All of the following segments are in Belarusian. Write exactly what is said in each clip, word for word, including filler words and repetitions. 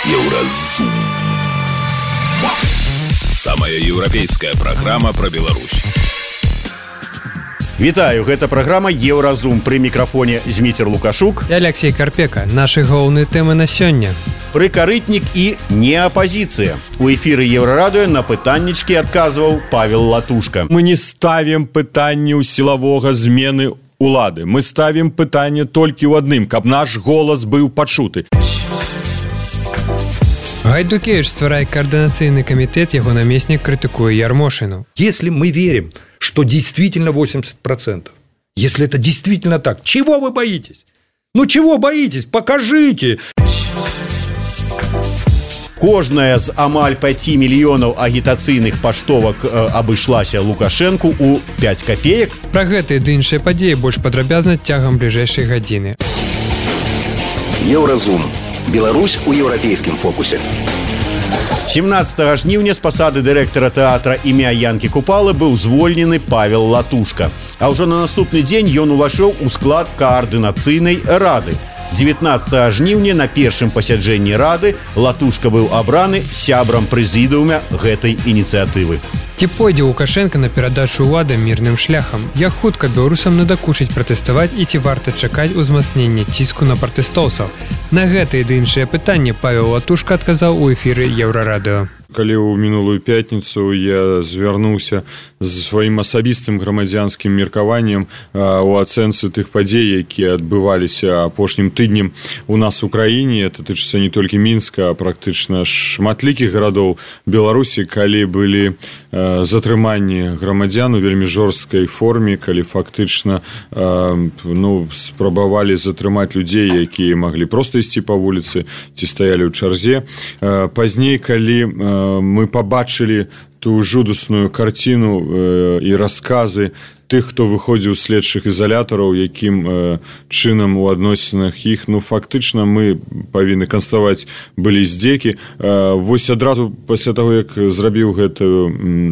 Еўразум. Самая еўрапейская праграма пра Беларусь. Вітаю, гэта праграма Еўразум. Пры мікрафоне Зміцер Лукашук і Алексей Карпека. Нашы галоўныя тэмы на сёння. Прыкарытнік і неапазіцыя. У эфіры Еўрарадыё на пытаннічкі адказваў Павел Латушка. Мы не ставім пытанні ў сілавога змены улады. Мы ставім пытанне толькі ў адным, каб наш голас быў пачуты. Гайдукевич стварае координационный комитет, его наместник критикует Ярмошину. Если мы верим, что действительно восемьдесят процентов, если это действительно так, чего вы боитесь? Ну чего боитесь? Покажите! Кожная з амаль пяти мільёнаў агітацыйных паштовак э, абышлася Лукашэнку ў пяць капеек. Пра гэтыя ды іншыя падзеі больш падрабязна цягам бліжэйшай гадзіны. Еўразум. Беларусь у еўрапейскім фокусе. семнадцатага жніўня з пасады дырэктара тэатра імя Янкі Купалы быў звольнены Павел Латушка. А ўжо на наступны дзень ён увайшоў у склад каардынацыйнай рады. дзевятнадцатага жніўня на першым пасяджэнні рады Латушка быў абраны сябрам прэзідыума гэтай ініцыятывы. Ці пойдзе Лукашенко на перадачу ўлады мірным шляхам? Як хутка беларусам надакучыць пратэставаць і ці варта чакаць узмацнення ціску на пратэстоўцаў? На гэтыя ды іншыя пытанні Павел Латушка адказаў у эфіры Еўрарадыё. Калі ў мінулую пятніцу я звярнуўся з сваім асабістым грамадзянскім меркаваннем у ацэнцы тых падзей, якія адбываліся апошнім тыднем у нас у краіне, это тычыцца не толькі Мінска, а практычна шматлікіх гарадоў Беларусі, калі былі затрыманні грамадзян у вельмі жорсткай форме, калі фактычна ну, спрабавалі затрымаць людзей, якія маглі проста ісці па вуліцы ці стаялі ў чарзе. Пазней, калі мы побачили ту жудасную картину э, и рассказы тых, хто выходзіў з следчых ізалятараў, якім э, чынам у адносінах іх, ну, фактычна мы павінны канстатаваць, былі здзекі. Э, вось адразу пасля таго, як зрабіў гэты,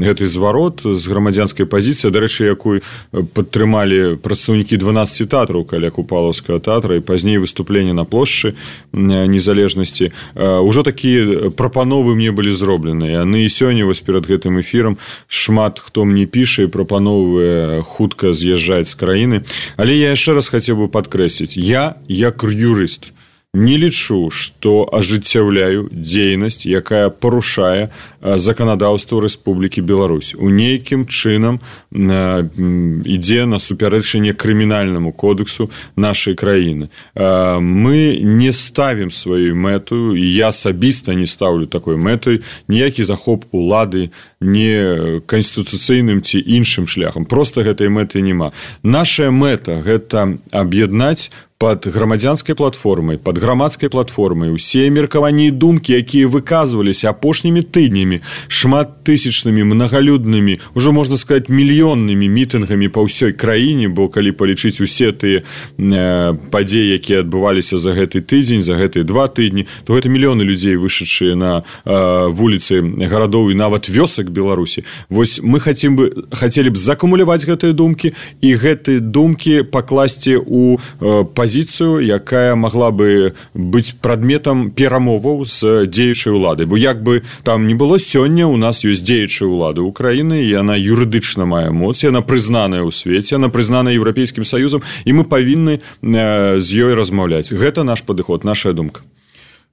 гэты зварот з грамадзянскай пазіцыі, дарэчы, якую падтрымалі прадстаўнікі дванаццаці тэатраў каля Купалаўскага тэатра і пазней выступленне на плошчы незалежнасці, э, ужо такія прапановы мне былі зроблены. Яны і сёння вось перад гэтым эфірам шмат хто мне піша і прапановвае хутка з'язджаць з краіны. Але я яшчэ раз хацеў бы падкрэсліць, я, як юрыст, не лічу, што ажыццяўляю дзейнасць, якая парушае заканадаўства Рэспублікі Беларусь. У нейкім чынам ідзе на супярэчанне крымінальнаму кодексу нашай краіны. Мы не ставім сваёй мэтою, і я асабіста не ставлю такой мэтай, ніякі захоп улады, не канстытуцыйным ці іншым шляхам. Проста гэтай мэты няма. Наша мэта – гэта аб'яднаць под грамадзянскай платформай, под грамадскай платформай усе меркаванні і думкі, якія выказваліся апошнімі тыднямі, шматтысячнымі, мнагалюднымі, ужо можна сказаць, мільённымі мітынгамі па ўсёй краіне, бо калі палічыць усе тыя э, падзеі, якія адбываліся за гэты тыдзень, за гэтыя два тыдні, то гэта мільёны людзей, вышедшыя на э, вуліцы гарадоў і нават вёсак Беларусі. Вось мы хацім бы, хацелі б закумуляваць гэтыя думкі і гэтыя думкі пакласці ў э, пазіцыю, якая магла бы быць прадметам перамоваў з дзеючай уладай. Бо як бы там не было, сёння у нас ёсць дзеючая ўлада Украіны, і яна юрыдычна мае моц, яна прызнаная ў свеце, яна прызнаная Еўрапейскім Саюзам, і мы павінны з ёй размаўляць. Гэта наш падыход, наша думка.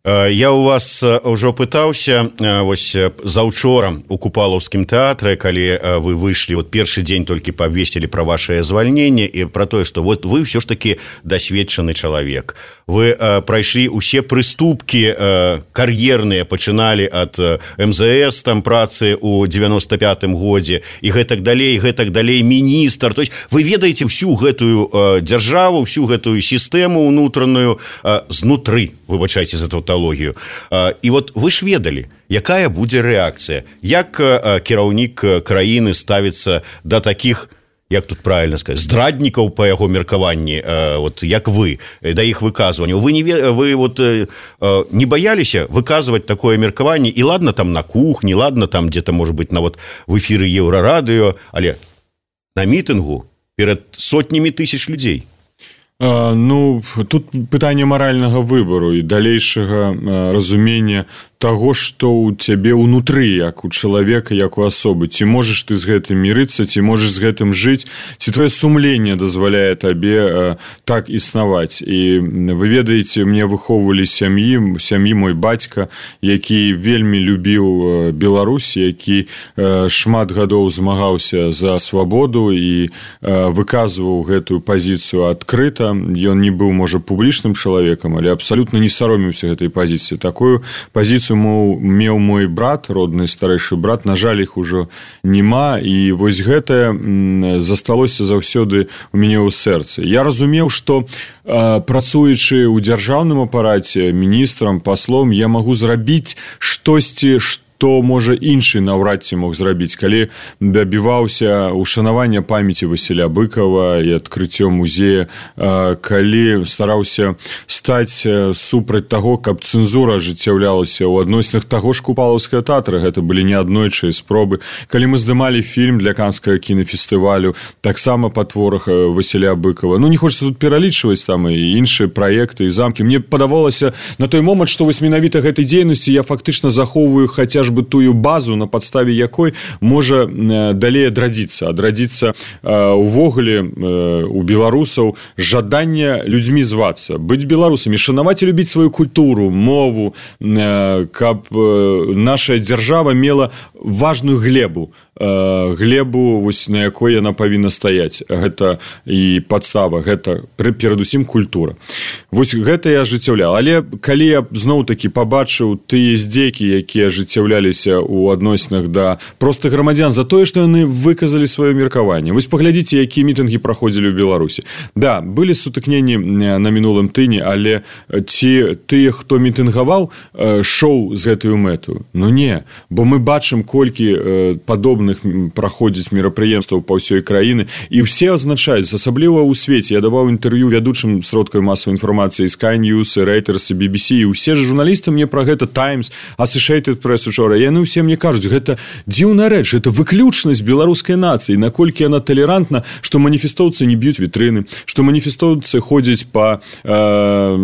Я у вас ўжо пытаўся вось заўчора у Купалаўскім тэатры, калі вы выйшлі, вот першы дзень толькі пабвесцілі пра вашае звальненне і пра тое, што вот вы ўсё ж такі дасведчаны чалавек. Вы э, прайшлі ўсе прыступкі э, кар'ерныя, пачыналі ад эм зэ эс там працы ў девяносто пятым годзе і гэтак далей, гэтак далей міністр. То есть вы ведаеце ўсю гэтую э, дзяржаву, ўсю гэтую сістэму ўнутраную э, знутры, выбачайце за тавталогію. Э, і вот вы ж ведалі, якая будзе рэакцыя, як э, кіраўнік краіны ставіцца да такіх, як тут правильно сказать, здраднікаў па яго меркаванні, э, вот як вы, да іх выказванняў. Вы, не, вы вот, э, не баяліся выказваць такое меркаванне, і ладно там на кухні, ладно там где-то, может быть, на вот в эфіры Еўрарадыё, але на мітынгу перад сотнямі тысяч людзей. А, ну, тут пытанне маральнага выбару і далейшага разумення таго, што ў цябе ўнутры, як у чалавека, як у асобы. Ці можаш ты з гэтым мірыцца, ці можаш з гэтым жыць, ці твоё сумленне дазваляе табе э, так існаваць. І вы ведаеце, мне выхоўвалі сям'і, сям'і мой бацька, які вельмі любіў Беларусь, які э, шмат гадоў змагаўся за свабоду і э, выказваў гэтую пазіцыю адкрыта. Ён не быў, можа, публічным чалавекам, але абсалютна не саромеўся гэтай пазіцыі. Такую пазіцыю меў мой брат, родны старэйшы брат, на жаль, іх ужо няма, і вось гэтае засталося заўсёды у мяне ў сэрцы. Я разумеў, што э, працуючы ў дзяржаўным апараце міністрам, паслом, я магу зрабіць штосьці, што то, можа, іншы наўрад ці мог зрабіць, калі дабіваўся ушанавання памяці Васіля Быкова і адкрыццё музея, калі стараўся стаць супраць таго, каб цэнзура ажыццяўлялася ў адносінах таго ж купалаўскага тэатра, гэта былі неаднойчыя спробы, калі мы здымалі фільм для канскага кінафестывалю, таксама па творах Васіля Быкова. Ну, не хочется тут пералічваць там і іншыя праекты і замкі. Мне падавалася на той момант, што вось менавіта гэтай дзейнасці я фактычна захоўваю хаця бы тую базу, на падставе якой можа далей адрадзіцца. Адрадзіцца увогуле у беларусаў жаданне людзьмі звацца, быць беларусамі, шанаваць і любіць сваю культуру, мову, каб наша дзяржава мела важную глебу, глебу, вось, на якой яна павінна стаяць. Гэта і падстава, гэта перадусім культура. Вось гэта я ажыццяўляў. Але калі я зноў-такі пабачыў тыя здзекі, якія ажыццяўляліся ў адносінах да простых грамадзян за тое, што яны выказалі сваё меркаванне. Вось паглядзіце, якія мітынгі праходзілі ў Беларусі. Да, былі сутыкненні на мінулым тыдні, але ці тыя, хто мітынгаваў, шоў з гэтую мэту? Ну не, бо мы бачым, колькі падобных праходзіць мерапрыемстваў па ўсёй краіны, і ўсе азначаюць, асабліва ў свеце. Я даваў інтэрв'ю вядучым сродкаў масавай інфармацыі Sky News, Reuters, би би сі, і ўсе ж журналісты мне пра гэта, Times, Associated Press учора, яны ўсе мне кажуць, гэта дзіўная рэч, гэта выключнасць беларускай нацыі, наколькі яна талерантна, што маніфестоўцы не б'юць вітрыны, што маніфестоўцы ходзяць па э,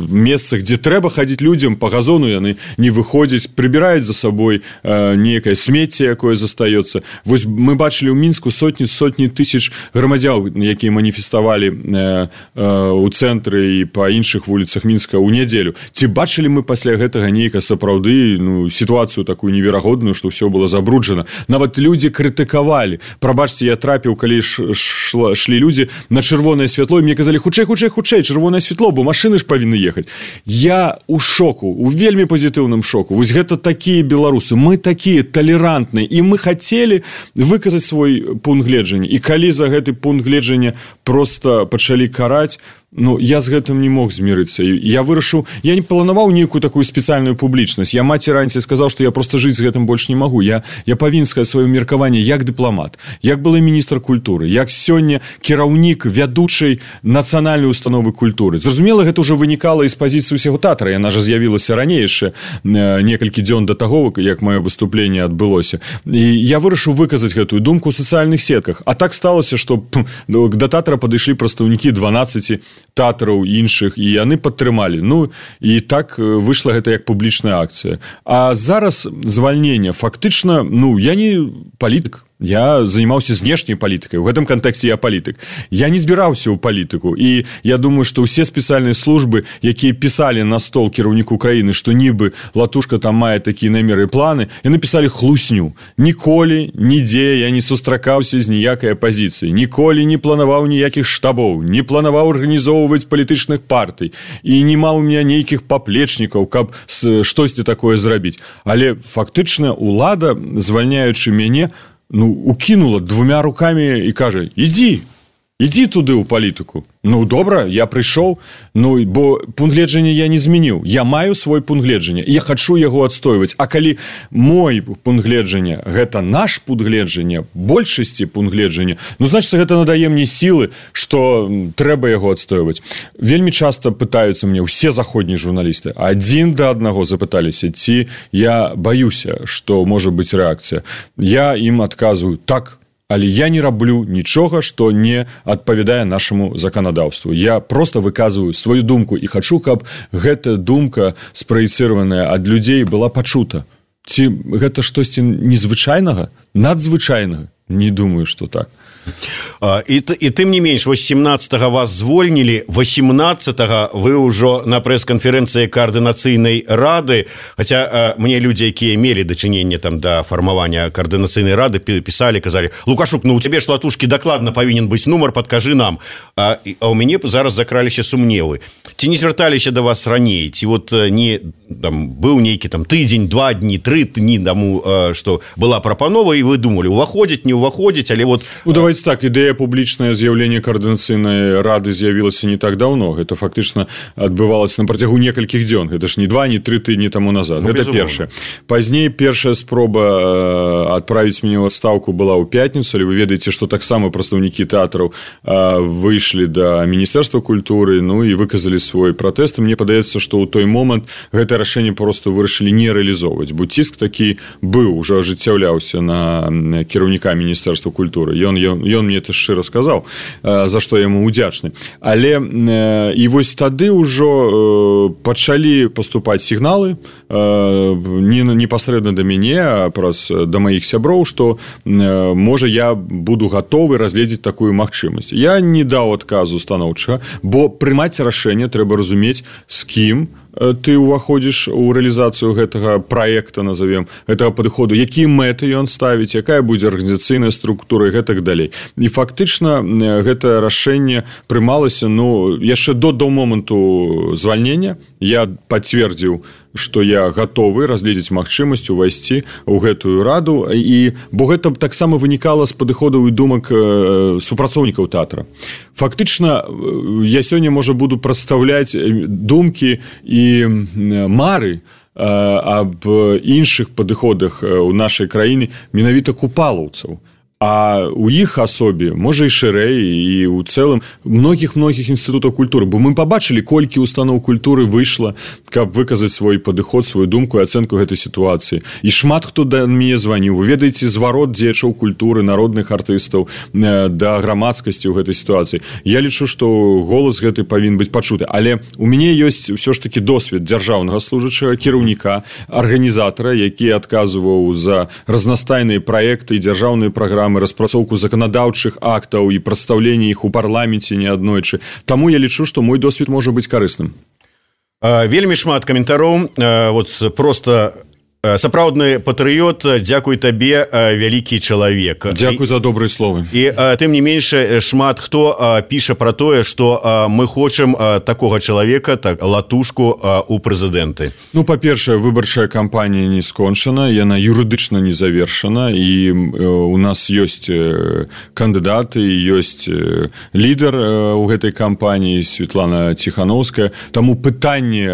месцах, дзе трэба хадзіць людзям, па газону яны не выходзяць, прыбіраюць за сабой э, нейкае смецце, якое застаецца. Вось мы бачылі ў Мінску сотні сотні тысяч грамадзян, якія маніфеставалі э, э, ў цэнтры і па іншых вуліцах Мінска ў нядзелю. Ці бачылі мы пасля гэтага нейка сапраўды, ну, сітуацыю такую неверагодную, што ўсё было забруджана. Нават людзі крытыкавалі. Прабачце, я трапіў, калі ш, ш, шлі людзі на чырвонае святло, і мне казалі, хутчэй, хутчэй, хутчэй, чырвонае святло, бо машыны ж павінны ехаць. Я у шоку, у вельмі пазітыўным шоку. Вось гэта такія беларусы. Мы такія талерантныя, і мы хацелі выказаць свой пункт гледжання. І калі за гэты пункт гледжання проста пачалі караць, ну, я з гэтым не мог змірыцца. Я вырашыў, я не планаваў нейкую такую спецыяльную публічнасць. Я маці раніцай сказаў, што я проста жыць з гэтым больш не магу. Я, я павінен сказаць сваё меркаванне як дыпламат, як былы міністр культуры, як сёння кіраўнік вядучай нацыянальнай установы культуры. Зразумела, гэта ўжо вынікала з пазіцыі ўсяго тэатра. Яна ж з'явілася раней яшчэ некалькі дзён да таго, як маё выступленне адбылося. І я вырашыў выказаць гэтую думку ў сацыяльных сетках. А так сталася, што да тэатра падышлі прадстаўнікі дванаццаці тэатраў іншых, і яны падтрымалі. Ну, і так выйшла гэта як публічная акцыя. А зараз звальнення фактычна, ну, я не палітык. Я занимаўся знешняй палітыкай. У гэтым кантэксце я палітык. Я не збіраўся ў палітыку. І я думаю, што ўсе спецыяльныя службы, якія пісалі на стол кіраўніку краіны, што нібы Латушка там мае такія намеры і планы, яны пісалі хлусню. Ніколі, нідзе я не сустракаўся з ніякай апазіцыі. Ніколі не планаваў ніякіх штабоў, не планаваў арганізоўваць палітычных партый. І не маў у меня нейкіх паплечнікаў, каб штосьці такое зрабіць. Але фактычна улада, звальняючы мяне, ну, укінула двумя рукамі і кажа, ідзі, ідзі туды ў палітыку. Ну, добра, я прыйшоў, ну, бо пункт гледжання я не змяніў. Я маю свой пункт гледжання, і я хачу яго адстойваць. А калі мой пункт гледжання, гэта наш пункт гледжання, большасці пункт гледжання, ну, значыць, гэта надае мне сілы, што трэба яго адстойваць. Вельмі часта пытаюцца мне ўсе заходнія журналісты. Адзін да аднаго запыталіся, ці я баюся, што можа быць рэакцыя. Я ім адказваю, так, але я не раблю нічога, што не адпавядае нашаму заканадаўству. Я просто выказваю сваю думку і хачу, каб гэта думка спраецыраваная ад людзей была пачута. Ці гэта штосьці незвычайнага, надзвычайнага? Не думаю, што так. І, і тым не менш, вось семнадцатага вас звольнілі, восемнадцатага вы ўжо на прэс-канферэнцыі каардынацыйнай рады, хаця мне людзі, якія мелі дачыненне там да фармавання каардынацыйнай рады, пісалі, казалі: Лукашук, ну у цябе ж латушкі дакладна павінен быць нумар, падкажы нам. А, а ў мяне зараз закраліся сумневы. Ці не звярталіся да вас раней? Ці вот не там быў нейкі там тыдзень, два дні, тры дні таму, што была прапанова, і вы думалі, уваходзіць, не уваходзіць, але вот... Ну, давайте так, ідэя публічнае з'яўленне каардынацыйнай рады з'явілася не так даўно. Гэта фактычна адбывалася на працягу некалькіх дзён. Гэта ж не два, не тры тыдні таму назад. Ну, гэта першае. Пазней першая спроба адправіць мяне ў адстаўку была ў пятніцу, але вы ведаеце, што таксама прадстаўнікі тэатраў выйшлі да Міністэрства культуры, ну і выказалі свой пратэст. Мне падаецца, што ў той момант гэта рашэнне проста вырашылі не рэалізоўваць, бо ціск такі быў, ужо ажыццяўляўся на кіраўніка Міністэрства культуры. Ён, ён Ён мне это шчыра сказаў, за што яму удзячны. Але і вось тады ўжо пачалі паступаць сігналы не непасрэдна да мяне, а праз да маіх сяброў, што можа я буду гатовы разгледзець такую магчымасць. Я не даў адказу станоўчага, бо прымаць рашэнне трэба разумець, з кім ты ўваходзіш у рэалізацыю гэтага праекта, назовем, гэтага падыходу, якія мэты ён ставіць, якая будзе арганізацыйная структура і гэтак далей. І фактычна гэта рашэнне прымалася, ну, яшчэ до, до моманту звальнення. Я пацвердзіў, што я гатовы разгледзець магчымасць увайсці ў гэтую раду, і бо гэта таксама вынікала з падыходаў і думак супрацоўнікаў тэатра. Фактычна я сёння, можа, буду прадстаўляць думкі і мары аб іншых падыходах у нашай краіне менавіта купалаўцаў. А у іх асобе, можа, і шырэй, і ў цэлым многіх-многіх інстытутаў культуры. Бо мы пабачылі, колькі устаноў культуры выйшла, каб выказаць свой падыход, сваю думку і ацэнку гэтай сітуацыі. І шмат хто да мяне званіў. Вы ведаеце зварот дзеячоў культуры, народных артыстаў да грамадскасці ў гэтай сітуацыі. Я лічу, што голас гэты павінен быць пачуты. Але у мяне ёсць ўсё ж такі досвед дзяржаўнага служачага, кіраўніка, арганізатара, які адказваў за разнастайныя праекты і дзяржаўныя праграмы, распрацоўку заканадаўчых актаў і прадстаўленне іх у парламенце неаднойчы. Таму я лічу, што мой досвед можа быць карысным. Вельмі шмат каментароў. Вот просто сапраўдны патрыёт, дзякуй табе, вялікі чалавек. Дзякуй за добрыя словы. І тым не менш, шмат хто піша пра тое, што мы хочам такога чалавека, так, латушку у прэзідэнты. Ну, па-першае, выбарчая кампанія не скончана, яна юрыдычна не завершана, і у нас ёсць кандыдаты, ёсць лідар у гэтай кампаніі, Светлана Ціхановская. Таму пытанне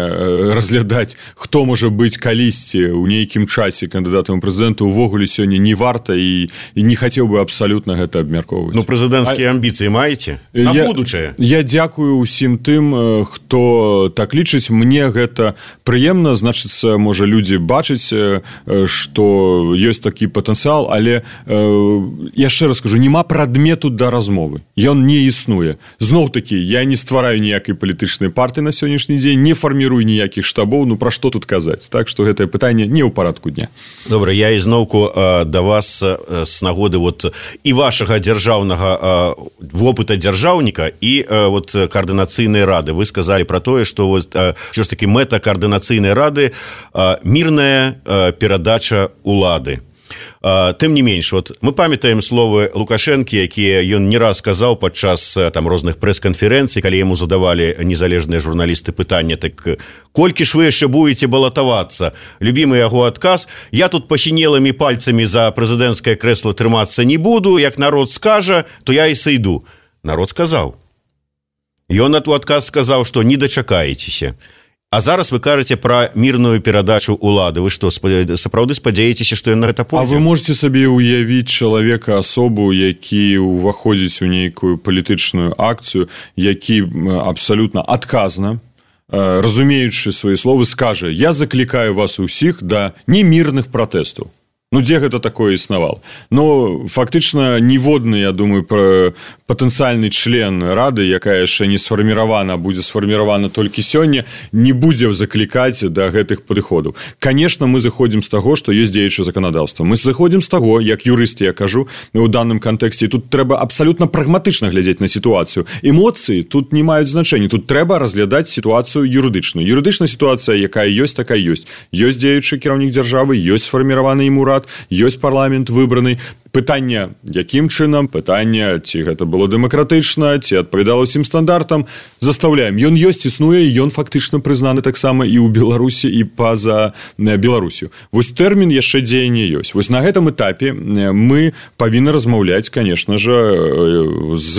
разглядаць, хто можа быць калісьці ў нейкім часе кандыдатам прэзідэнта увогуле сёння не варта, і, і не хацеў бы абсалютна гэта абмяркоўваць. Ну, прэзідэнцкія а... амбіцыі маеце? На я, будучае? Я дзякую ўсім тым, хто так лічыць. Мне гэта прыемна, значыцца, можа, людзі бачаць, што ёсць такі патэнцыял, але яшчэ раз скажу, няма прадмету да размовы. Ён не існуе. Зноў-такі, я не ствараю ніякай палітычнай партыі на сённяшні дзень, не фармірую ніякіх штабоў, ну пра што тут казаць? Так што гэтае пытанне не ў парадку дня. Добра, я ізноўку да вас з нагоды вот і вашага дзяржаўнага вопыта дзяржаўніка і вот каардынацыйнай рады. Вы сказалі пра тое, што вот, ўсё ж такі мэта каардынацыйнай рады мірная перадача улады. Тым не менш, вот мы памятаем словы Лукашэнкі, якія ён не раз сказаў падчас там розных прэс-канферэнцый, калі яму задавалі незалежныя журналісты пытання, так колькі ж вы яшчэ будете балатавацца? Любімы яго адказ: я тут пасінелымі пальцамі за прэзідэнцкае крэсла трымацца не буду, як народ скажа, то я і сыйду. Народ сказаў. Ён у адказ сказаў, што не дачакаецеся. А зараз вы кажаце пра мірную перадачу улады. Вы што, сапраўды спадзяецеся, што ён на гэта пойдзе? А вы можете сабе ўявіць чалавека, асобу, які ўваходзіць у нейкую палітычную акцыю, які абсалютна адказна, разумеючы свае словы, скажа: я заклікаю вас усіх да немірных пратэстаў. Ну, дзе гэта такое існавала? Ну, фактычна, ніводны, я думаю, патэнцыяльны член Рады, якая яшчэ не сфарміравана, будзе сфарміравана толькі сёння, не будзе заклікаць да гэтых падыходаў. Конечно, мы заходзім з таго, што ёсць дзеючае заканадаўства. Мы заходзім з таго, як юрысты, я кажу, у данным кантэксце, тут трэба абсалютна прагматычна глядзець на сітуацыю. Эмоцыі тут не маюць значэння. Тут трэба разглядаць сітуацыю юрыдычную. Юрыдычная сітуацыя, якая ёсць, такая ёсць. Ёсць дзеючы кіраўнік дзяржавы, ёсць сфарміраваны ім урад, ёсць парламент выбраны. Пытанне, якім чынам, пытанне, ці гэта было дэмакратычна, ці адпавядала ўсім стандартам, застаўляем. Ён ёсць, існуе, і ён фактычна прызнаны таксама і ў Беларусі, і па-за Беларусію. Вось тэрмін яшчэ дзеяння ёсць. Вось на гэтым этапе мы павінны размаўляць, конечно же, з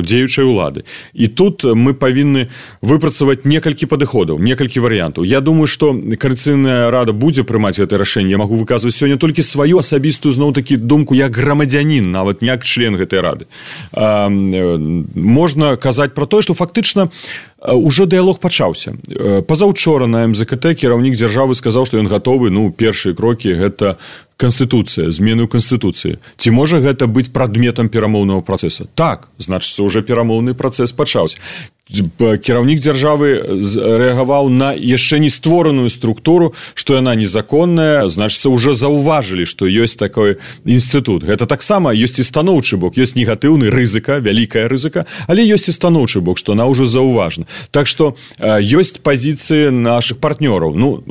дзеючай улады. І тут мы павінны выпрацаваць некалькі падыходаў, некалькі варыянтаў. Я думаю, што Коаліцыйная рада будзе прымаць гэта рашэнне. Я магу выказваць сёння толькі сваю асабістую, зноў-такі, думку, як грамадзянін, нават не як член гэтай рады. А, можна казаць пра тое, што фактычна ўжо дыялог пачаўся. Пазаўчора на эм зэ ка тэ кіраўнік дзяржавы сказаў, што ён гатовы, ну, першыя крокі гэта Конституцыя, змены ў Конституцыі. Ці можа гэта быць прадметам перамоўнага працэса? Так, значыцца, уже перамоўны працэс пачаўся. Кіраўнік дзяржавы рэагаваў на яшчэ не створаную структуру, што яна незаконная, значыцца, уже заўважылі, што ёсць такой інстытут. Гэта таксама ёсць і станоўчы бок, ёсць негатыўны рызыка, вялікая рызыка, але ёсць і станоўчы бок, што она ўжо заўважана. Так што ёсць пазіцыі нашых партнёраў. Ну,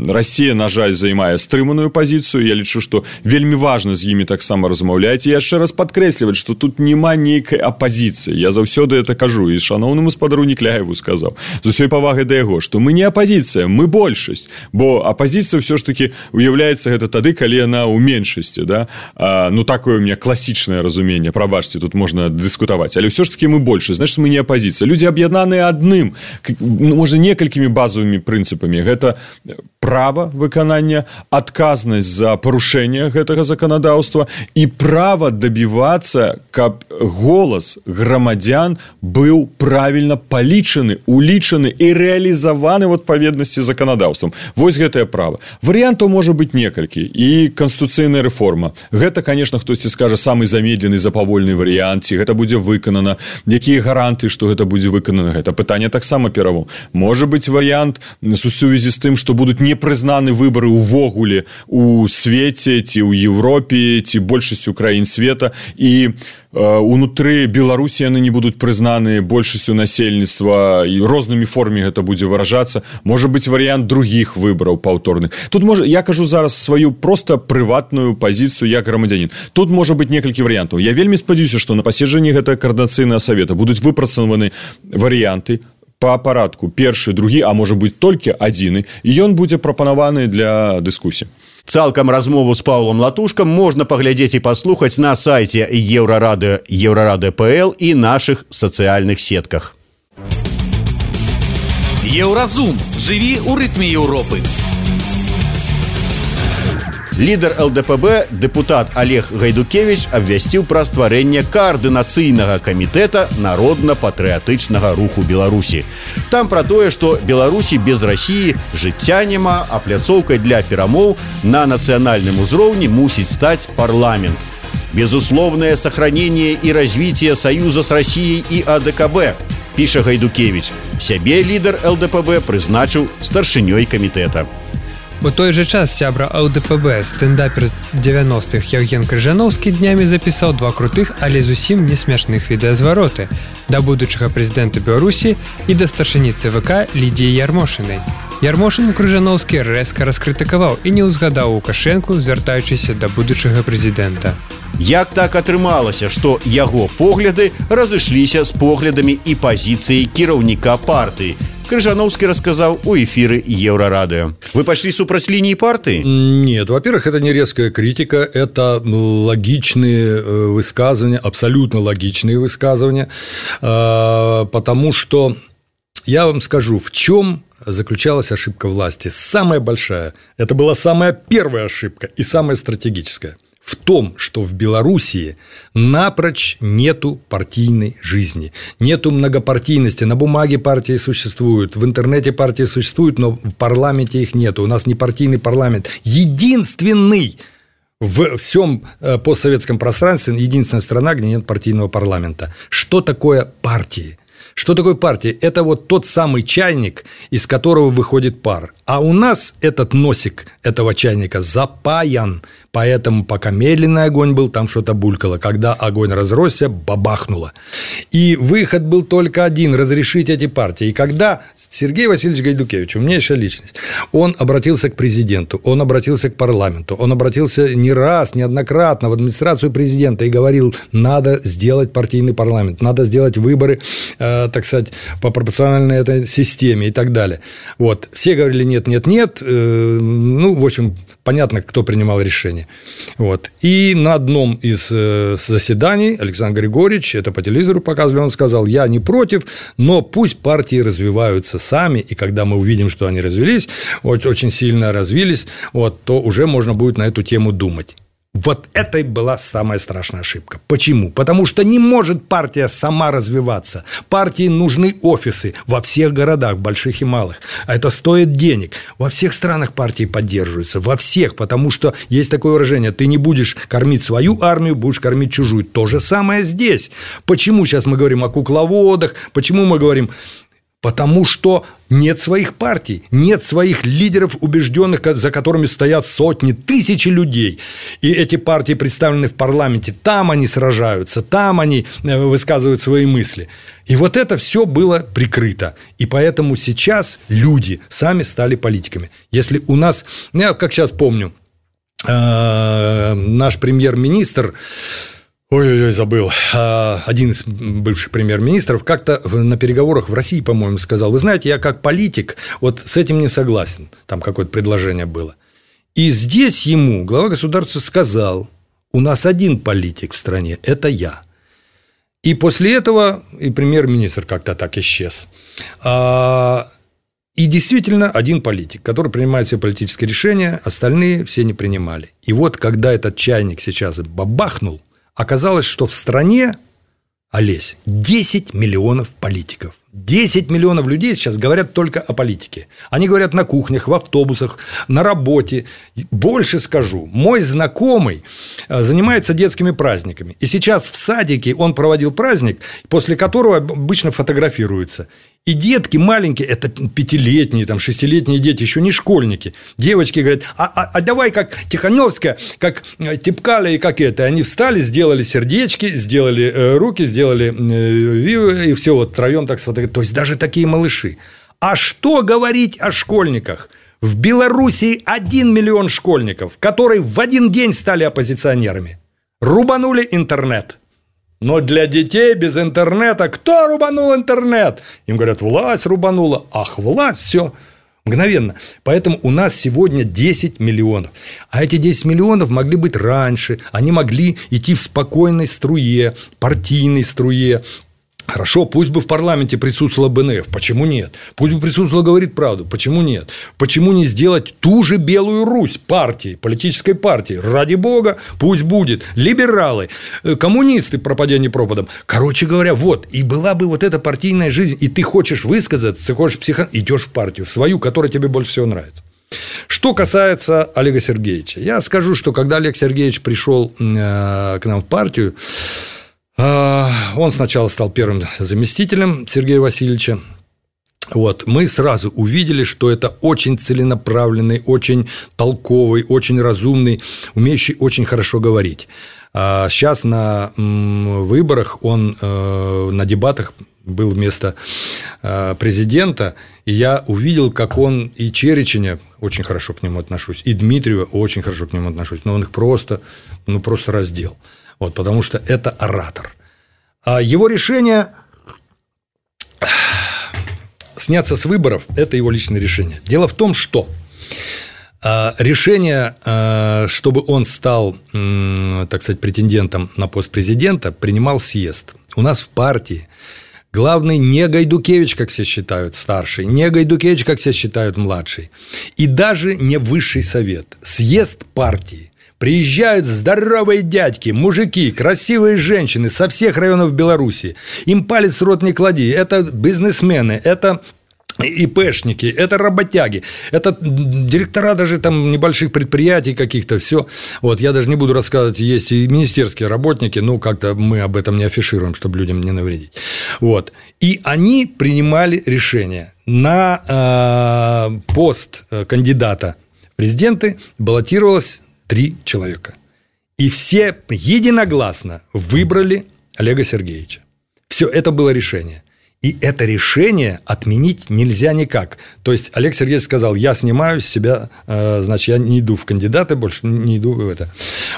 Расія, на жаль, займае стрыманую пазіцыю. Я лічу, што вельмі важна з імі таксама размаўляць. І яшчэ раз падкрэсліваць, што тут няма нейкай апазіцыі. Я заўсёды это кажу. І шаноўнаму спадару Некляеву сказаў, з усёй павагай да яго, што мы не апазіцыя, мы большасць, бо апазіцыя ўсё ж такі уяўляецца гэта тады, калі яна ў меншасці, да? А, ну, такое у меня класічнае разуменне, прабачце, тут можна дыскутаваць, але ўсё ж такі мы большасць, значит, мы не апазіцыя. Людзі аб'яднаныя адным, ну, можа, некалькімі базовымі прынцыпамі. Гэта права выканання, адказнасць за парушэнне гэтага заканадаўства і права дабівацца, каб голас грамадзян быў правільна палічаны, улічаны і рэалізаваны ў адпаведнасці з заканадаўствам. Вось гэтае права. Варыянтаў можа быць некалькі. І канстытуцыйная рэформа. Гэта, конечно, хтосьці скажа, самы замедлены, запавольны варыянт, ці гэта будзе выканана, якія гаранты, што гэта будзе выканана. Гэта пытанне таксама перавод. Можа быць варыянт у сувязі з тым, што будуць непрызнаны выбары ўвогуле у свеце, ці ў Еўропе, ці большасцю краін света, і унутры Беларусі яны не будуць прызнаны большасцю насельніцтва, і рознымі формамі гэта будзе выражацца. Можа быць варыянт другіх выбараў паўторных. Тут можа, я кажу зараз сваю проста прыватную пазіцыю як грамадзянін. Тут можа быць некалькі варыянтаў. Я вельмі спадзяюся, што на паседжанні гэтага каардынацыйнага савета будуць выпрацаваны варыянты па парадку першы, другі, а можа быць толькі адзіны, і ён будзе прапанаваны для дыскусіі. Цалкам размову з Паўлам Латушкам можна паглядзець і паслухаць на сайце Еўрарады, Еўрарады точка пэ эл і нашых сацыяльных сетках. Еўразум. Жыві ў рытме Еўропы. Лідар эл дэ пэ бэ, дэпутат Олег Гайдукевич, абвясціў пра стварэнне каардынацыйнага камітэта народна-патрыятычнага руху Беларусі. Там пра тое, што Беларусі без Расіі жыцця няма, а пляцоўкай для перамоў на нацыянальным узроўні мусіць стаць парламент. Безусловное сохранение и развитие союза с Россией и а дэ ка бэ, піша Гайдукевич. Сябе лідар эл дэ пэ бэ прызначыў старшынёй камітэта. У той же час сябра эл дэ пэ бэ, стендапер девяностых Евген Крыжановскі днямі запісаў два крутых, але зусім не смешных відэазвароты да будучага прэзідэнта Беларусі і да старшыні цэ вэ ка Лідіі Ярмошынай. Ярмошын Крыжановскі рэзка раскрытыкаваў і не ўзгадаў Лукашэнку, звяртаючыся да будучага прэзідэнта. Як так атрымалася, што яго погляды разышліся з поглядамі і пазіцыяй кіраўніка партыі? Крыжановский рассказал у эфиры Еврорадио. Вы пошли супраць линии партии? Нет, во-первых, это не резкая критика, это логичные высказывания, абсолютно логичные высказывания, потому что я вам скажу, в чем заключалась ошибка власти. Самая большая, это была самая первая ошибка и самая стратегическая. В том, что в Белоруссии напрочь нету партийной жизни, нету многопартийности. На бумаге партии существуют, в интернете партии существуют, но в парламенте их нету. У нас не партийный парламент. Единственный в всем постсоветском пространстве единственная страна, где нет партийного парламента. Что такое партии? Что такое партия? Это вот тот самый чайник, из которого выходит пар. А у нас этот носик этого чайника запаян. Поэтому пока медленный огонь был, там что-то булькало. Когда огонь разросся, бабахнуло. И выход был только один – разрешить эти партии. И когда Сергей Васильевич Гайдукевич, умнейшая личность, он обратился к президенту, он обратился к парламенту, он обратился не раз, неоднократно в администрацию президента и говорил, надо сделать партийный парламент, надо сделать выборы, э, так сказать, по пропорциональной этой системе и так далее. Вот. Все говорили нет, нет, нет. Э, ну, в общем, понятно, кто принимал решение. Вот. И на одном из заседаний Александр Григорьевич, это по телевизору показывали, он сказал, я не против, но пусть партии развиваются сами, и когда мы увидим, что они развились, очень сильно развились, вот, то уже можно будет на эту тему думать. Вот это и была самая страшная ошибка. Почему? Потому что не может партия сама развиваться. Партии нужны офисы во всех городах, больших и малых. А это стоит денег. Во всех странах партии поддерживаются. Во всех. Потому что есть такое выражение. Ты не будешь кормить свою армию, будешь кормить чужую. То же самое здесь. Почему сейчас мы говорим о кукловодах? Почему мы говорим... Потому что нет своих партий, нет своих лидеров убежденных, за которыми стоят сотни, тысячи людей. И эти партии представлены в парламенте. Там они сражаются, там они высказывают свои мысли. И вот это все было прикрыто. И поэтому сейчас люди сами стали политиками. Если у нас, я как сейчас помню, наш премьер-министр... Ой-ой-ой, забыл. Один из бывших премьер-министров как-то на переговорах в России, по-моему, сказал, вы знаете, я как политик вот с этим не согласен. Там какое-то предложение было. И здесь ему глава государства сказал, у нас один политик в стране, это я. И после этого и премьер-министр как-то так исчез. И действительно один политик, который принимает все политические решения, остальные все не принимали. И вот когда этот чайник сейчас бабахнул, оказалось, что в стране, Олесь, десять миллионов политиков. десять миллионов людей сейчас говорят только о политике. Они говорят на кухнях, в автобусах, на работе. Больше скажу, мой знакомый занимается детскими праздниками. И сейчас в садике он проводил праздник, после которого обычно фотографируются. И детки маленькие, это пятилетние, там, шестилетние дети, еще не школьники. Девочки говорят, а, а, а давай как Тихановская, как Типкаля и как это. Они встали, сделали сердечки, сделали э, руки, сделали э, и все, вот втроем так сфотографировали. То есть даже такие малыши. А что говорить о школьниках? В Белоруссии один миллион школьников, которые в один день стали оппозиционерами. Рубанули интернет. Но для детей без интернета кто рубанул интернет? Им говорят, власть рубанула. Ах, власть, все, мгновенно. Поэтому у нас сегодня десять миллионов. А эти десять миллионов могли быть раньше. Они могли идти в спокойной струе, партийной струе. Хорошо, пусть бы в парламенте присутствовала бэ эн эф, почему нет? Пусть бы присутствовала «Говорит правду», почему нет? Почему не сделать ту же Белую Русь партии, политической партии? Ради бога, пусть будет. Либералы, коммунисты, пропадя не пропадом. Короче говоря, вот, и была бы вот эта партийная жизнь, и ты хочешь высказаться, хочешь психо... идешь в партию, свою, которая тебе больше всего нравится. Что касается Олега Сергеевича, я скажу, что когда Олег Сергеевич пришел к нам в партию, он сначала стал первым заместителем Сергея Васильевича. Вот. Мы сразу увидели, что это очень целенаправленный, очень толковый, очень разумный, умеющий очень хорошо говорить. А сейчас на выборах он на дебатах был вместо президента, и я увидел, как он и Череченя, очень хорошо к нему отношусь, и Дмитриева очень хорошо к нему отношусь, но он их просто, ну, просто раздел. Вот, потому что это оратор. А его решение сняться с выборов – это его личное решение. Дело в том, что решение, чтобы он стал, так сказать, претендентом на пост президента, принимал съезд. У нас в партии главный не Гайдукевич, как все считают, старший, не Гайдукевич, как все считают, младший, и даже не высший совет. Съезд партии. Приезжают здоровые дядьки, мужики, красивые женщины со всех районов Белоруссии. Им палец в рот не клади. Это бизнесмены, это ИПшники, это работяги, это директора даже там небольших предприятий каких-то, все. Вот, я даже не буду рассказывать, есть и министерские работники, ну, как-то мы об этом не афишируем, чтобы людям не навредить. Вот. И они принимали решение. На э, пост кандидата в президенты баллотировалось три человека. И все единогласно выбрали Олега Сергеевича. Все, это было решение. И это решение отменить нельзя никак. То есть Олег Сергеевич сказал: я снимаю с себя, значит, я не иду в кандидаты, больше не иду в это.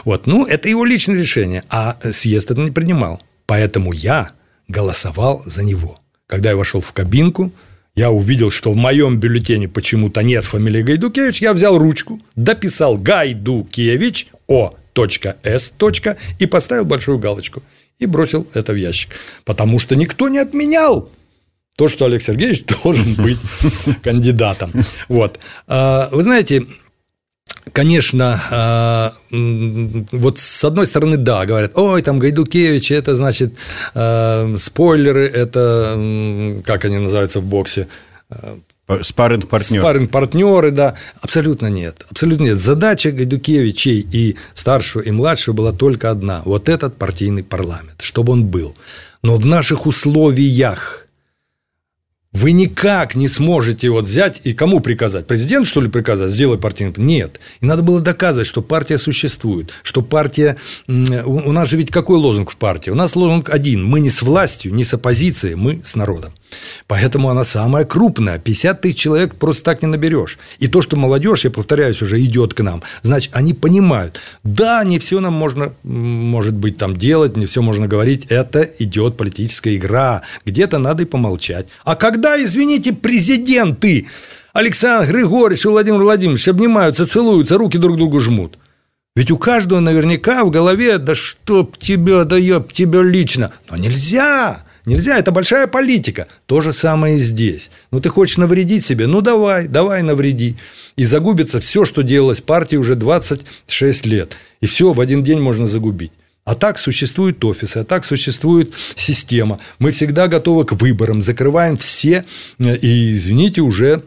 Вот. Ну, это его личное решение, а съезд это не принимал. Поэтому я голосовал за него. Когда я вошел в кабинку, я увидел, что в моем бюллетене почему-то нет фамилии Гайдукевич, я взял ручку, дописал Гайдукевич, О.С. и поставил большую галочку. И бросил это в ящик. Потому что никто не отменял то, что Олег Сергеевич должен быть кандидатом. Вот. Вы знаете, конечно, вот с одной стороны, да, говорят: ой, там Гайдукевич, это значит спойлеры, это, как они называются в боксе, спарринг-партнеры. Спарринг-партнеры, да. Абсолютно нет. Абсолютно нет. Задача Гайдукевичей и старшего, и младшего была только одна. Вот этот партийный парламент, чтобы он был. Но в наших условиях вы никак не сможете вот взять и кому приказать? Президенту, что ли, приказать? Сделай партийный парламент? Нет. И надо было доказывать, что партия существует, что партия... У нас же ведь какой лозунг в партии? У нас лозунг один. Мы не с властью, не с оппозицией, мы с народом. Поэтому она самая крупная. пятьдесят тысяч человек просто так не наберешь. И то, что молодежь, я повторяюсь, уже идет к нам, значит, они понимают: да, не все нам можно, может быть, там делать, не все можно говорить. Это идет политическая игра. Где-то надо и помолчать. А когда, извините, президенты Александр Григорьевич и Владимир Владимирович обнимаются, целуются, руки друг другу жмут? Ведь у каждого наверняка в голове: да чтоб тебя, да ёб тебя лично. Но нельзя. Нельзя, это большая политика. То же самое и здесь. Ну, ты хочешь навредить себе? Ну, давай, давай навреди. И загубится все, что делалось партией уже двадцать шесть лет. И все в один день можно загубить. А так существуют офисы, а так существует система. Мы всегда готовы к выборам, закрываем все. И, извините, уже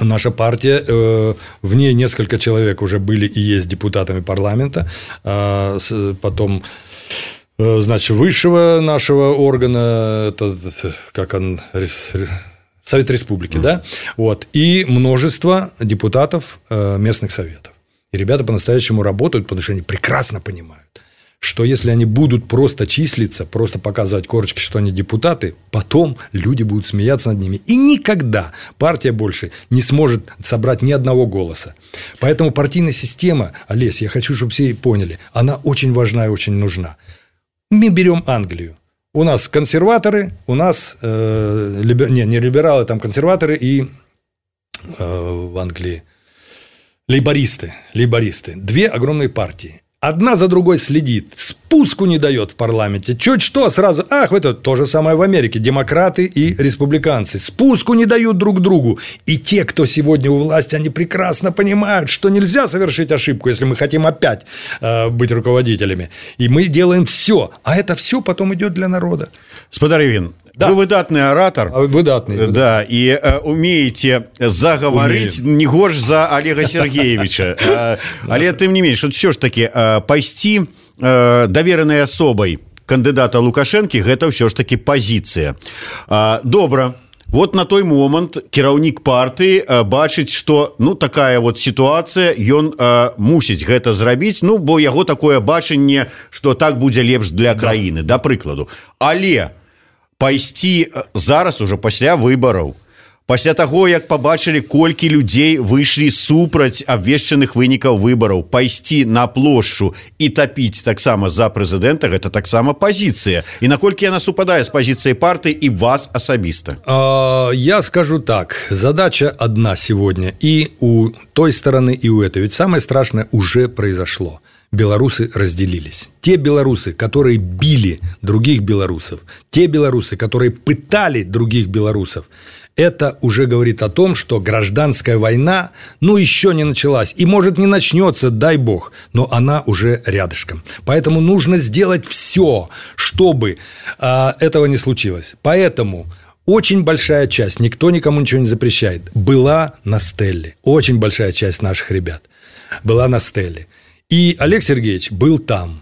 наша партия, э, в ней несколько человек уже были и есть депутатами парламента. А потом... Значит, высшего нашего органа, это как он, Совет Республики, mm. да, вот, и множество депутатов местных советов. И ребята по-настоящему работают, потому что они прекрасно понимают, что если они будут просто числиться, просто показывать корочки, что они депутаты, потом люди будут смеяться над ними. И никогда партия больше не сможет собрать ни одного голоса. Поэтому партийная система, Олесь, я хочу, чтобы все поняли, она очень важна и очень нужна. Мы берем Англию. У нас консерваторы, у нас э, либер... не, не либералы, там консерваторы и э, в Англии лейбористы, лейбористы. Две огромные партии. Одна за другой следит, спуску не дает в парламенте. Чуть что, сразу, ах, это то же самое в Америке. Демократы и республиканцы спуску не дают друг другу. И те, кто сегодня у власти, они прекрасно понимают, что нельзя совершить ошибку, если мы хотим опять э, быть руководителями. И мы делаем все. А это все потом идет для народа. Спадар Івін, да. Вы выдатный оратор. Выдатный. выдатный. Да, и э, умеете заговорить Умеем. Не горш за Олега Сергеевича. Э, але тем не менее, вот все ж таки э, пайсці э, доверенной особой кандидата Лукашенко, это все ж таки позиция. Э, добра. Вот на той момент кіраўнік партыі э, бачыць, што ну такая вот сітуацыя, ён э, мусіць гэта зрабіць, ну бо яго такое бачанне, што так будзе лепш для краіны, да, да прыкладу. Але пайсці зараз уже пасля выбараў, пасля таго, як пабачылі, колькі людзей выйшлі супраць абвешчаных вынікаў выбараў, пайсці на плошчу і тапіць таксама за прэзідэнта, гэта таксама пазіцыя. І наколькі яна супадае з пазіцыяй партыі і вас асабіста? Я скажу так, задача одна сегодня и у той стороны, и у этой. Ведь самое страшное уже произошло. Белорусы разделились. Те белорусы, которые били других белорусов, те белорусы, которые пытали других белорусов, это уже говорит о том, что гражданская война, ну, еще не началась. И, может, не начнется, дай бог, но она уже рядышком. Поэтому нужно сделать все, чтобы э, этого не случилось. Поэтому очень большая часть, никто никому ничего не запрещает, была на Стелле. Очень большая часть наших ребят была на Стелле. И Олег Сергеевич был там.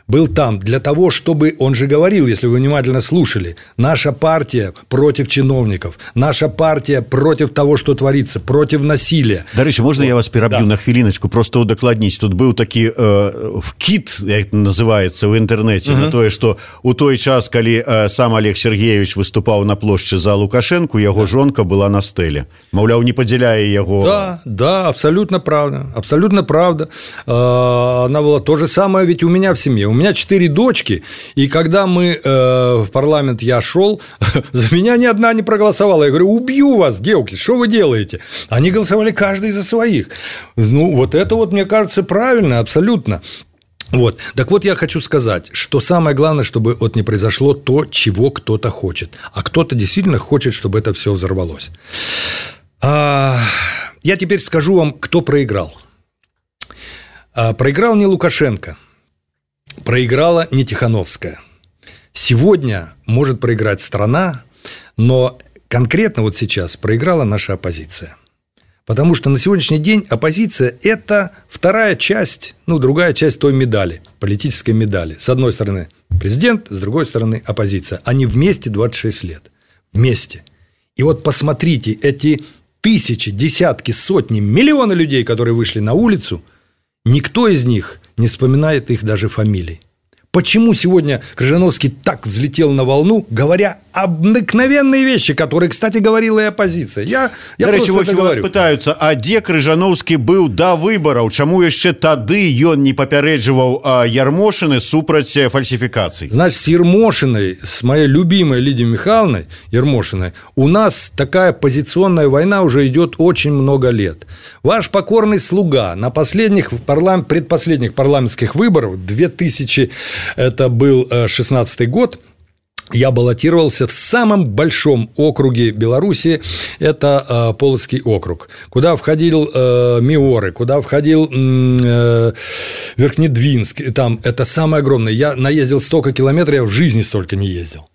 Был там для того, чтобы, он же говорил, если вы внимательно слушали, наша партия против чиновников, наша партия против того, что творится, против насилия. Дарэчы, можна вот. Я вас пераб'ю да. на хвіліначку, просто удакладніць. Тут быў такі э, вкид, як называецца ў інтэрнэце, угу. на тое, што у той час, калі э, сам Олег Сергеевич выступаў на плошчы за Лукашенко, яго да. жонка была на Стэле. Маўляў, не падзяляе яго... Да, да, абсолютно правда, абсолютно правда. Э, она была то же самое, ведь у меня в семье. У меня четыре дочки, и когда мы э, в парламент я шел, за меня ни одна не проголосовала. Я говорю, убью вас, девки, что вы делаете? Они голосовали каждый за своих. Ну, вот это вот, мне кажется, правильно, абсолютно. Вот. Так вот, я хочу сказать, что самое главное, чтобы вот не произошло то, чего кто-то хочет. А кто-то действительно хочет, чтобы это все взорвалось. А, я теперь скажу вам, кто проиграл. А, проиграл не Лукашенко. Проиграла не Тихановская. Сегодня может проиграть страна, но конкретно вот сейчас проиграла наша оппозиция. Потому что на сегодняшний день оппозиция – это вторая часть, ну, другая часть той медали, политической медали. С одной стороны президент, с другой стороны оппозиция. Они вместе двадцать шесть лет. Вместе. И вот посмотрите, эти тысячи, десятки, сотни, миллионы людей, которые вышли на улицу, никто из них не вспоминает их даже фамилий. Почему сегодня Крыжановский так взлетел на волну, говоря обыкновенные вещи, которые, кстати, говорила и оппозиция? Я, я Дарэчы, просто это вас говорю. пытаются, а где Крыжановский был до выборов? Чему еще тады он не попередживал Ярмошины супраць фальсификаций? Значит, с Ермошиной, с моей любимой Лидией Михайловной Ермошиной, у нас такая позиционная война уже идет очень много лет. Ваш покорный слуга на последних, парлам... предпоследних парламентских выборах, две тысячи это был шестнадцатый год, я баллотировался в самом большом округе Беларуси, это э, Полоцкий округ, куда входил э, Миоры, куда входил э, Верхнедвинск, там это самое огромное. Я наездил столько километров, я в жизни столько не ездил.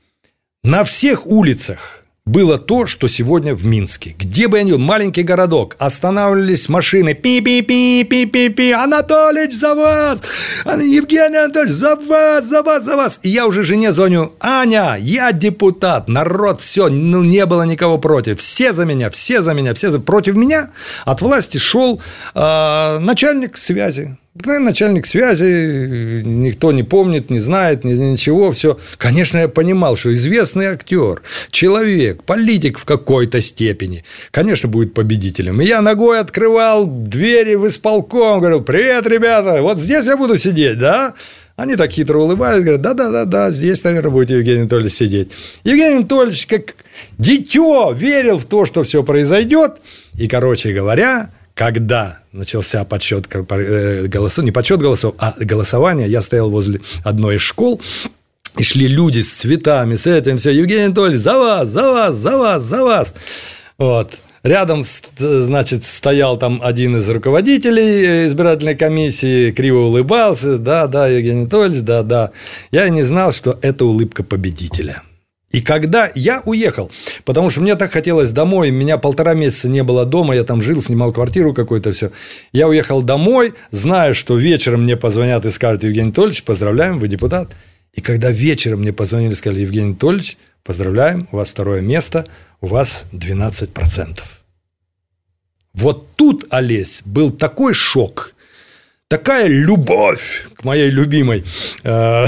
На всех улицах было то, что сегодня в Минске. Где бы я ни был, маленький городок, останавливались машины, пи-пи-пи-пи-пи-пи, Анатолич, за вас, Евгений Анатольевич, за вас, за вас, за вас. И я уже жене звоню, Аня, я депутат, народ, все, ну, не было никого против, все за меня, все за меня, все за... Против меня от власти шел э, начальник связи. Начальник связи, никто не помнит, не знает, ничего, все. Конечно, я понимал, что известный актер, человек, политик в какой-то степени, конечно, будет победителем. И я ногой открывал двери в исполком, говорил, привет, ребята, вот здесь я буду сидеть, да? Они так хитро улыбались, говорят, да-да-да, здесь, наверное, будете, Евгений Анатольевич, сидеть. Евгений Анатольевич, как дитё, верил в то, что все произойдет. И, короче говоря, когда начался подсчет голосов, не подсчет голосов, а голосование, я стоял возле одной из школ, и шли люди с цветами, с этим, все, Евгений Анатольевич, за вас, за вас, за вас, за вас. Вот. Рядом, значит, стоял там один из руководителей избирательной комиссии, криво улыбался, да, да, Евгений Анатольевич, да, да. Я не знал, что это улыбка победителя. И когда я уехал, потому что мне так хотелось домой, меня полтора месяца не было дома, я там жил, снимал квартиру какую-то, все. Я уехал домой, зная, что вечером мне позвонят и скажут, Евгений Анатольевич, поздравляем, вы депутат. И когда вечером мне позвонили и сказали, Евгений Анатольевич, поздравляем, у вас второе место, у вас двенадцать процентов. Вот тут, Олесь, был такой шок. Такая любовь к моей любимой э,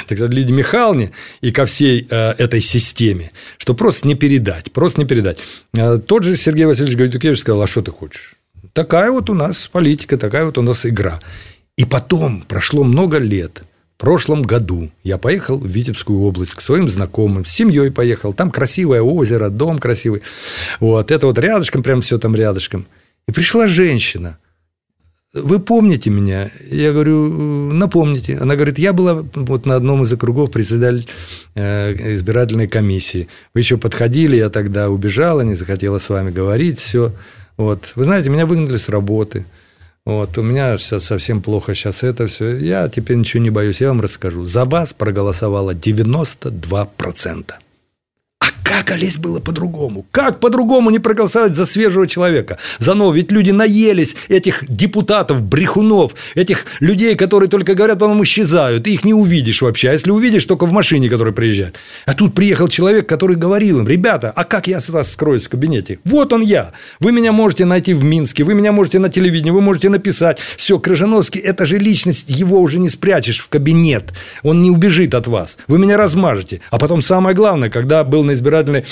так сказать, Лидии Михайловне и ко всей э, этой системе, что просто не передать, просто не передать. Э, тот же Сергей Васильевич Гайдукевич сказал, а что ты хочешь? Такая вот у нас политика, такая вот у нас игра. И потом прошло много лет. В прошлом году я поехал в Витебскую область к своим знакомым, с семьей поехал. Там красивое озеро, дом красивый. Вот, это вот рядышком, прям все там рядышком. И пришла женщина. Вы помните меня? Я говорю, напомните. Она говорит, я была вот на одном из округов председатель э, избирательной комиссии. Вы еще подходили, я тогда убежала, не захотела с вами говорить, все. Вот. Вы знаете, меня выгнали с работы. Вот. У меня совсем плохо сейчас это все. Я теперь ничего не боюсь, я вам расскажу. За вас проголосовало девяносто два процента. А Как, Олесь, было по-другому? Как по-другому не проголосовать за свежего человека? За нового? Ведь люди наелись этих депутатов, брехунов, этих людей, которые только говорят, потом исчезают. Ты их не увидишь вообще. А если увидишь, только в машине, которая приезжает. А тут приехал человек, который говорил им: ребята, а как я с вас скроюсь в кабинете? Вот он я. Вы меня можете найти в Минске, вы меня можете на телевидении, вы можете написать. Все, Крыжановский, это же личность, его уже не спрячешь в кабинет. Он не убежит от вас. Вы меня размажете. А потом самое главное, когда был на избирательной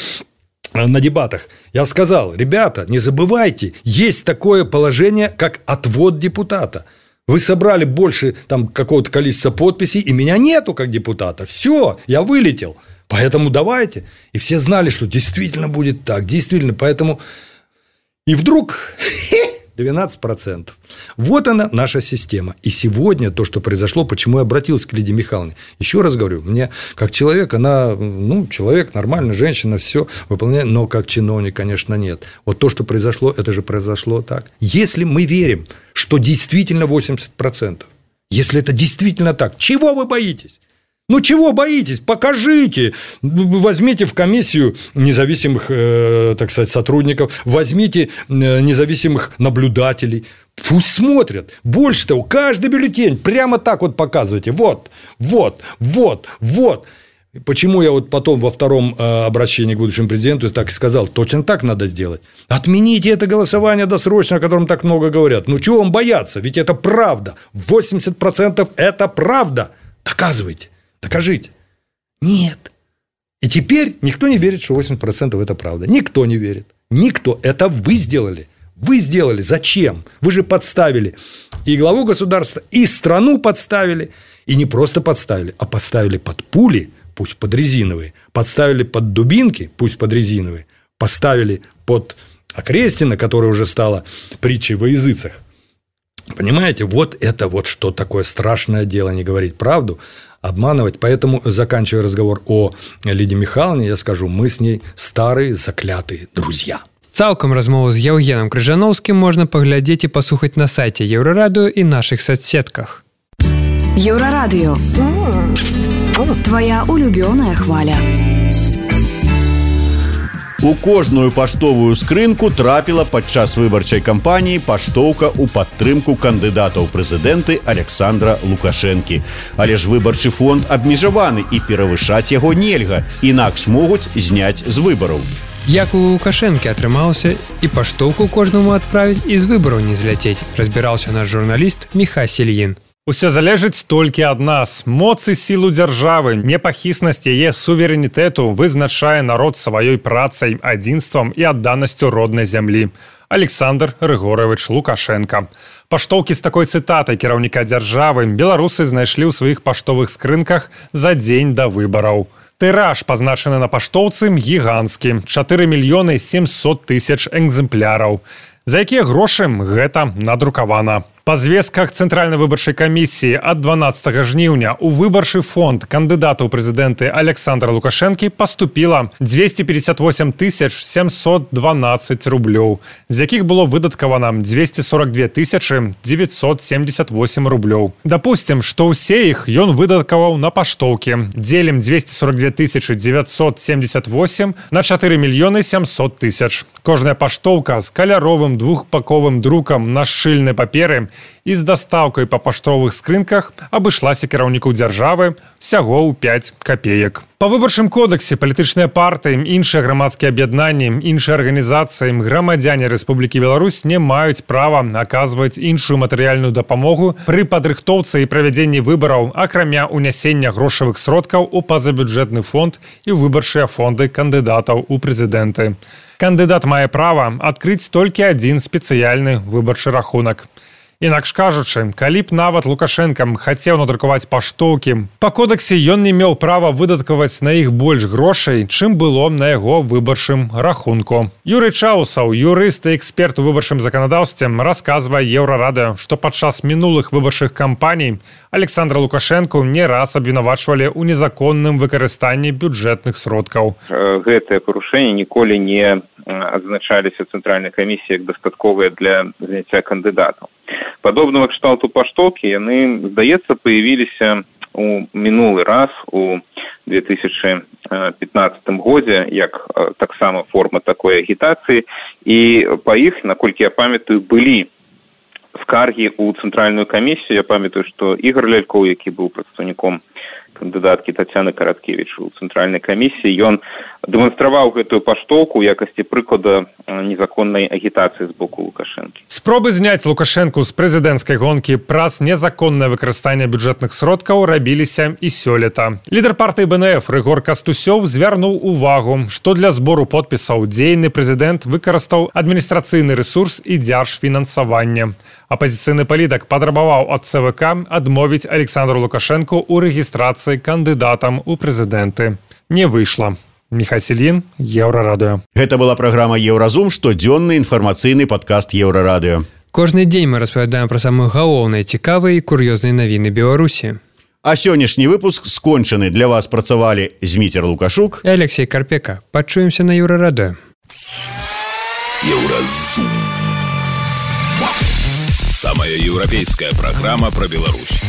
на дебатах, я сказал: ребята, не забывайте, есть такое положение, как отвод депутата. Вы собрали больше там какого-то количества подписей, и меня нету как депутата. Все, я вылетел. Поэтому давайте. И все знали, что действительно будет так. Действительно, поэтому... И вдруг... двенадцать процентов. Вот она, наша система. И сегодня то, что произошло, почему я обратился к Лидии Михайловне. Еще раз говорю, мне как человек, она, ну, человек, нормальная женщина, все выполняет, но как чиновник, конечно, нет. Вот то, что произошло, это же произошло так. Если мы верим, что действительно восемьдесят процентов, если это действительно так, чего вы боитесь? Ну, чего боитесь? Покажите. Возьмите в комиссию независимых, э, так сказать, сотрудников, возьмите независимых наблюдателей. Пусть смотрят. Больше того, каждый бюллетень прямо так вот показывайте. Вот, вот, вот, вот. Почему я вот потом во втором обращении к будущему президенту так и сказал: точно так надо сделать. Отмените это голосование досрочно, о котором так много говорят. Ну, чего вам бояться? Ведь это правда. восемьдесят процентов это правда. Доказывайте. Докажите. Нет. И теперь никто не верит, что восемьдесят процентов это правда. Никто не верит. Никто. Это вы сделали. Вы сделали. Зачем? Вы же подставили и главу государства, и страну подставили. И не просто подставили, а поставили под пули, пусть под резиновые. Подставили под дубинки, пусть под резиновые. Поставили под Окрестина, которая уже стала притчей во языцах. Понимаете? Вот это вот что такое страшное дело, не говорить правду, обманывать. Поэтому, заканчивая разговор о Лидии Михайловне, я скажу: мы с ней старые заклятые друзья. Цалкам размову з Яўгенам Крыжановскім можна паглядзець і паслухаць на сайце Еўрарадыё і нашых соцсетках. Еўрарадыё. Твоя улюбёная хваля. У кожную паштовую скрынку трапіла падчас выбарчай кампаніі паштоўка ў падтрымку кандыдата ў прэзідэнты Александра Лукашэнкі. Але ж выбарчы фонд абмежаваны і перавышаць яго нельга, інакш могуць зняць з выбараў. Як у Лукашэнкі атрымалася і паштоўку кожнаму адправіць і з выбараў не зляцець, разбіраўся наш журналіст Міха Сельін. Усё залежыць толькі ад нас. Моц і сілу дзяржавы, непахіснасць яе суверэнітэту вызначае народ сваёй працай, адзінствам і адданасцю роднай зямлі. Александр Григорович Лукашенко. Паштоўкі з такой цытатай кіраўніка дзяржавы беларусы знайшлі ў сваіх паштовых скрынках за дзень да выбараў. Тыраж, пазначаны на паштоўцы, гіганцкі – чатыры мільёны сямьсот тысяч экземпляраў. За якія грошы гэта надрукавана. Па звестках Цэнтральнай выбарчай камісіі ад дванаццатага жніўня ў выбарчы фонд кандыдата ў прэзідэнты Александра Лукашэнкі паступіла двести пятьдесят восемь тысяч семьсот двенадцать рублёў, з якіх было выдаткавана двести сорок две тысячи девятьсот семьдесят восемь рублёў. Дапусцім, што ўсе іх ён выдаткаваў на паштоўкі. Дзелім двести сорок две тысячи девятьсот семьдесят восемь на чатыры мільёны сямьсот тысяч. Кожная паштоўка з каляровым двухпаковым друкам на шчыльнай паперы і з дастаўкай па паштовых скрынках абышлася кіраўніку дзяржавы всяго ў пяць капеек. Па выбарчым кодексе палітычныя партыі, іншыя грамадскія аб'яднанні, іншыя арганізацыі, грамадзяне Рэспублікі Беларусь не маюць права аказваць іншую матэрыяльную дапамогу пры падрыхтоўцы і правядзенні выбараў, акрамя ўнясення грошавых сродкаў у пазабюджэтны фонд і выбарчыя фонды кандыдатаў у прэзідэнты. Кандыдат мае права адкрыць толькі адзін спецыяльны выбарчы рахунак. Інакш кажучы, калі б нават Лукашенка хацеў надрукаваць паштоўкі, па кодексе ён не меў права выдаткаваць на іх больш грошай, чым было на яго выбарчым рахунку. Юрый Чаусаў, юрыст і эксперт у выбарчым заканадаўстве, расказвае Еўрарадыё, што падчас мінулых выбарчых кампаній Александра Лукашэнку не раз абвінавачвалі ў незаконным выкарыстанні бюджэтных сродкаў. Гэтыя парушэнні ніколі не адзначаліся Цэнтральнай камісіі як дастатковыя для заняцця кандыдатаў. Падобного кшталту паштоўкі, яны, здаецца, появіліся у мінулы раз у две тысячи пятнадцатым годзе як таксама форма такой агітацыі, і па іх, наколькі я памятаю, былі скаргі ў цэнтральную камісію. Я памятаю, што Ігор Лялькоў, які быў прадстаўніком кандыдаткі Тацяны Караткевіч у цэнтральнай камісіі, ён дэманстраваў гэтую паштоўку ў якасці прыклада незаконнай агітацыі з боку Лукашэнкі. Спробы зняць Лукашэнку з прэзідэнцкай гонкі праз незаконнае выкарыстанне бюджэтных сродкаў рабіліся і сёлета. Лідар партыі бэ эн эф Рыгор Кастусёў звярнуў увагу, што для збору подпісаў дзейны прэзідэнт выкарыстаў адміністрацыйны рэсурс і дзяржфінансаванне. Апазіцыйны палітык патрабаваў ад цэ вэ ка адмовіць Александру Лукашэнку ў рэгістрацыі кандыдатам у прэзідэнты. Не выйшла. Міхай Селін, Еўрарадыё. Гэта была праграма «Еўразум», штодзённы інфармацыйны падкаст Еўрарадыё. Кожны дзень мы распавядаем пра самыя галоўныя, цікавыя і кур'ёзныя навіны Беларусі. А сённяшні выпуск скончаны. Для вас працавалі Зміцер Лукашук і Алексей Карпека. Пачуемся на Еўрарадыё. Еўразум. Самая еўрапейская программа про Беларусь.